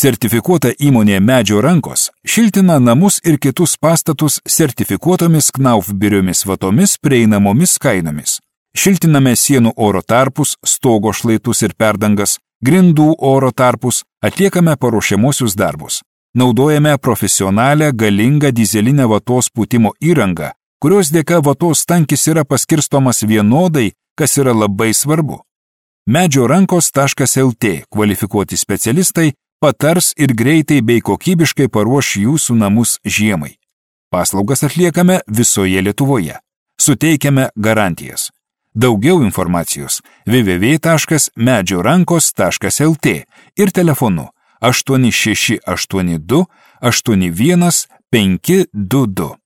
Sertifikuota įmonė Medžio rankos šiltina namus ir kitus pastatus sertifikuotomis Knauf biriomis vatomis prieinamomis kainomis. Šiltiname sienų oro tarpus, stogo šlaitus ir perdangas, grindų oro tarpus, atliekame paruošiamosius darbus. Naudojame profesionalią, galingą dizelinę vatos pūtimo įrangą, kurios dėka vatos tankis yra paskirstomas vienodai, kas yra labai svarbu. Medžiorankos.lt kvalifikuoti specialistai patars ir greitai bei kokybiškai paruoš jūsų namus žiemai. Paslaugas atliekame visoje Lietuvoje. Suteikiame garantijas. Daugiau informacijos www.medžiorankos.lt ir telefonu 8682 81 522.